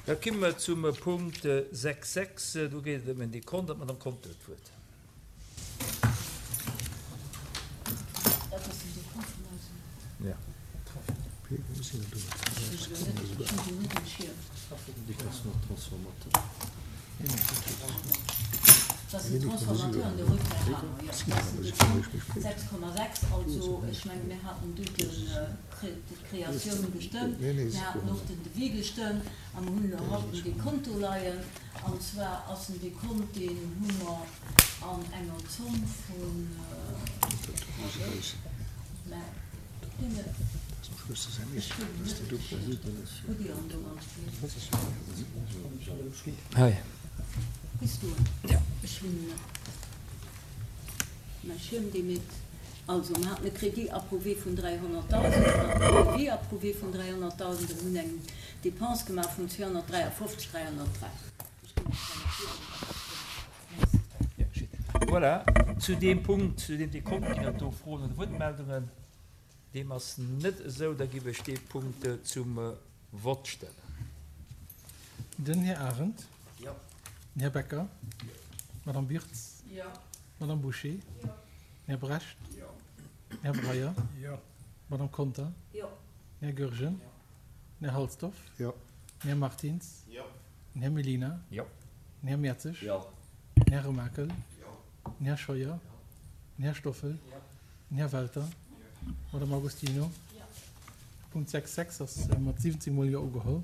Da komme mer zum Punkt 6.6. Do geet et ëm en Dekont. An d'Madame Conter huet d'Wuert. D'Kreatioun gestëmmt, mir haten och den Devis gestëmmt a mer hunn elo haut den Dekont do leien. An zwar ass den Dekont, deen hu mer an enger Zomm vun, mä ech hunn en net, hutt Dir en do ganz vill? Hei. Hues du en? Ech hunn en net. Mä ech hunn dee mit. Also, mer haten e Crédit approuvé vun 300.000, mer haten en Devis approuvé vun 300.000 a mer hunn eng Dépense gemaach vun 253 303. Ech ginn lech dann och virun, wat ech wëll. Merci. Voilà, zu deem Punkt, zu deem Dekont ginn et do Froen oder Wuertmeldungen? Deem ass net esou. Da giff ech dee Punkt zum Vott stellen. Den Här Arendt. Jo. Den Här Becker. Jo. D'Madame Wirtz. Jo. D'Madame Bouché. Jo. Den Här Brecht. Jo. Den Här Breyer. Jo. D'Madame Conter. Jo. Den Här Goergen. Jo. Den Här Halsdorf. Jo. Den Här Martins. Jo. Den Här Mellina. Jo. Den Här Mertzig. Jo. Den Här Remakel. Jo. Den Här Scheuer. Den Här Stoffel. Jo. Den Här Welter. Jo. D'Madame Agostino. Jo. Punkt 6, 6 ass mat 17 mol Jo ugeholl.